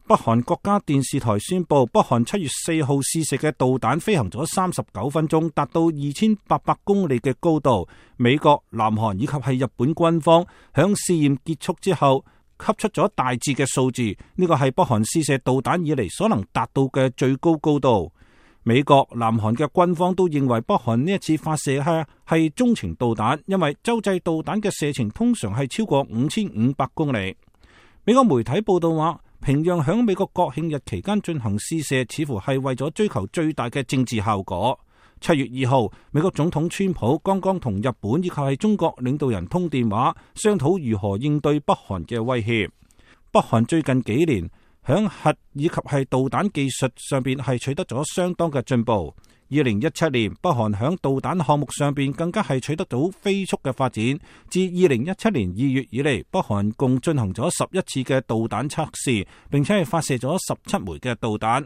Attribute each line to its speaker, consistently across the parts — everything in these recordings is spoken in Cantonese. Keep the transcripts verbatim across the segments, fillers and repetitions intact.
Speaker 1: 北韓國家電視台宣布，北韓七月四號試射嘅導彈飛行咗三十九分鐘，達到二千八百公里嘅高度。美國、南韓以及係日本軍方響試驗結束之後，給出咗大致嘅數字。呢個係北韓試射導彈以嚟所能達到嘅最高高度。美國、南韓嘅軍方都認為北韓呢一次發射係係中程導彈，因為洲際導彈嘅射程通常係超過五千五百公里。美國媒體報道話，平壤響美國國慶日期間進行試射，似乎係為咗追求最大嘅政治效果。七月二號，美國總統川普剛剛同日本以及係中國領導人通電話，商討如何應對北韓嘅威脅。北韓最近幾年響核以及係導彈技術上邊係取得咗相當嘅進步。二零一七年，北韓響導彈項目上邊更加係取得到飛速嘅發展。自二零一七年二月以嚟，北韓共進行咗十一次嘅導彈測試，並且係發射咗十七枚嘅導彈。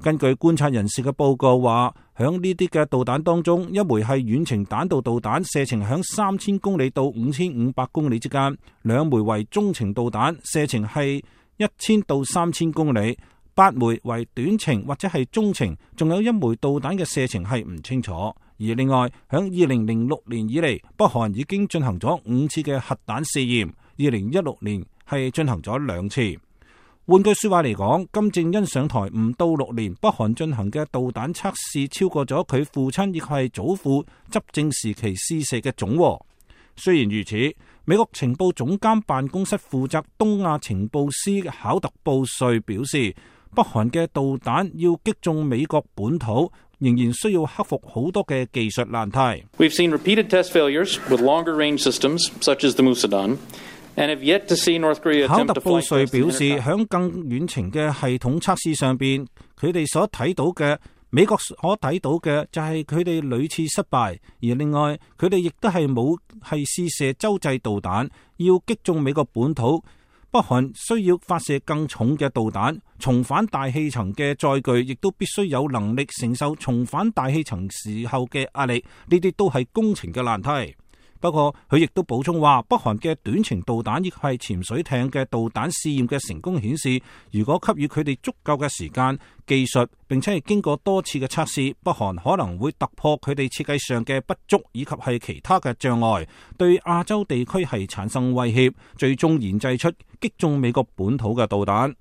Speaker 1: 根據觀察人士嘅報告話，響呢啲嘅導彈當中，一枚係遠程彈道導彈，射程響三千公里到五千五百公里之間；兩枚為中程導彈，射程係一千到三千公里。八枚為短程或者係中程，仲有一枚導彈嘅射程係唔清楚。而另外，響二零零六年以嚟，北韓已經進行咗五次嘅核彈試驗，二零一六年係進行咗兩次。換句說話嚟講，金正恩上台唔到六年，北韓進行嘅導彈測試超過咗佢父親亦係祖父執政時期試射嘅總和。雖然如此，美國情報總監辦公室負責東亞情報司考特布瑞表示，北韓嘅導彈要擊中美國本土，仍然需要克服好多嘅技術難題。
Speaker 2: We've seen repeated test failures with longer range systems, such as the Musadan, and have yet to see North Korea attempt to fly. 考特布瑞表示，響更遠程嘅系統測試上邊，佢哋所睇到嘅美國所睇到嘅就係佢哋屢次失敗，而另外佢哋亦都係冇係試射洲際導彈，要擊中美國本土。北韓需要發射更重嘅導彈，重返大氣層嘅載具亦都必須有能力承受重返大氣層時候嘅壓力，呢啲都係工程嘅難題。不過佢亦都補充話，北韓嘅短程導彈亦係潛水艇嘅導彈試驗嘅成功顯示，如果給予佢哋足夠嘅時間、技術，並且係經過多次嘅測試，北韓可能會突破佢哋設計上嘅不足以及係其他嘅障礙，對亞洲地區係產生威脅，最終研製出擊中美國本土嘅導彈。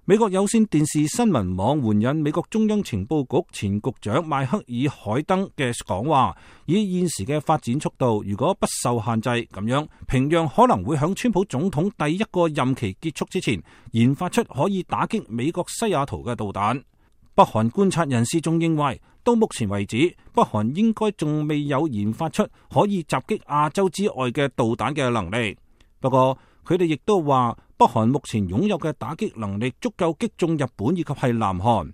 Speaker 2: 美國有線電視新聞網援引美國中央情報局前局長邁克爾海登嘅講話，以現時嘅發展速度，如果不受限制，咁樣平壤可能會響川普總統第一個任期結束之前，研發出可以打擊美國西雅圖嘅導彈。北韓觀察人士仲認為，到目前為止，北韓應該仲未有研發出可以襲擊亞洲之外嘅導彈嘅能力。不過，佢哋亦都話，北韓目前擁有嘅打擊能力足夠擊中日本以及係南韓。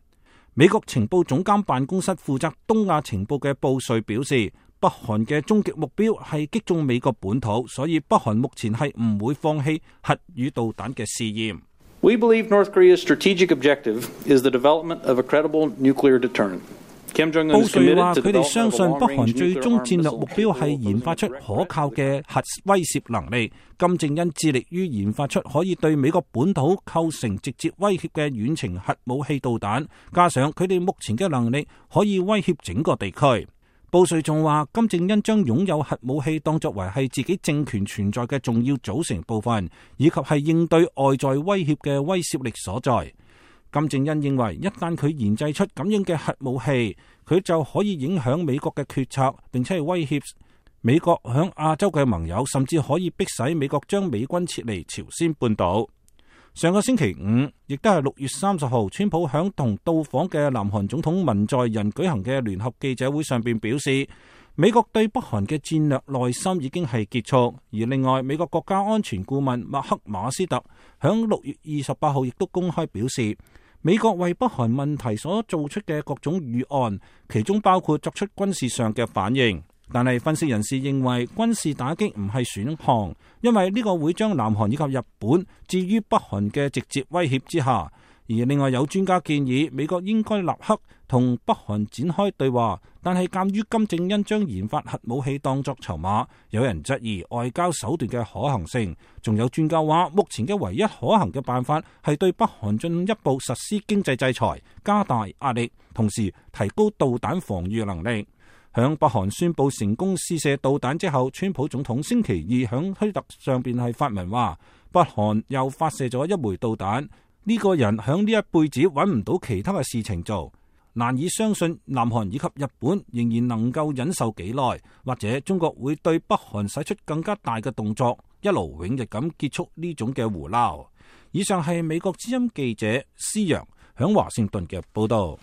Speaker 2: 美國情報總監辦公室負責東亞情報嘅布瑞表示，北韓嘅終極目標係擊中美國本土，所以北韓目前係唔會放棄核與導彈嘅試驗。We believe North Korea's strategic objective is the development of a credible nuclear deterrent. 布瑞話：佢哋相信北韓最終戰略目標係研發出可靠嘅核威懾能力。金正恩致力於研發出可以對美國本土構成直接威脅嘅遠程核武器導彈，加上佢哋目前嘅能力可以威脅整個地區。布瑞仲話：金正恩將擁有核武器當作為係自己政權存在嘅重要組成部分，以及係應對外在威脅嘅威懾力所在。金正恩認為，一旦佢研製出咁樣嘅核武器，佢就可以影響美國嘅決策，並且係威脅美國響亞洲嘅盟友，甚至可以迫使美國將美軍撤離朝鮮半島。上個星期五，亦都係六月三十號，川普響同到訪嘅南韓總統文在寅舉行嘅聯合記者會上邊表示，美國對北韓嘅戰略耐心已經係結束。而另外，美國國家安全顧問麥克馬斯特響六月二十八號亦都公開表示，美國為北韓問題所做出嘅各種預案，其中包括作出軍事上嘅反應。但係分析人士認為，軍事打擊唔係選項，因為呢個會將南韓以及日本置於北韓嘅直接威脅之下。
Speaker 1: 而另外有專家建議美國應該立刻同北韓展開對話，但係鑑於金正恩將研發核武器當作籌碼，有人質疑外交手段嘅可行性。仲有專家話，目前嘅唯一可行嘅辦法係對北韓進一步實施經濟制裁，加大壓力，同時提高導彈防禦能力。響北韓宣布成功試射導彈之後，川普總統星期二響推特上邊係發文話，北韓又發射咗一枚導彈。呢個人響呢一輩子揾唔到其他嘅事情做，難以相信南韓以及日本仍然能夠忍受幾耐，或者中國會對北韓使出更加大嘅動作，一勞永逸咁結束呢種嘅胡鬧。以上係美國之音記者施洋響華盛頓嘅報道。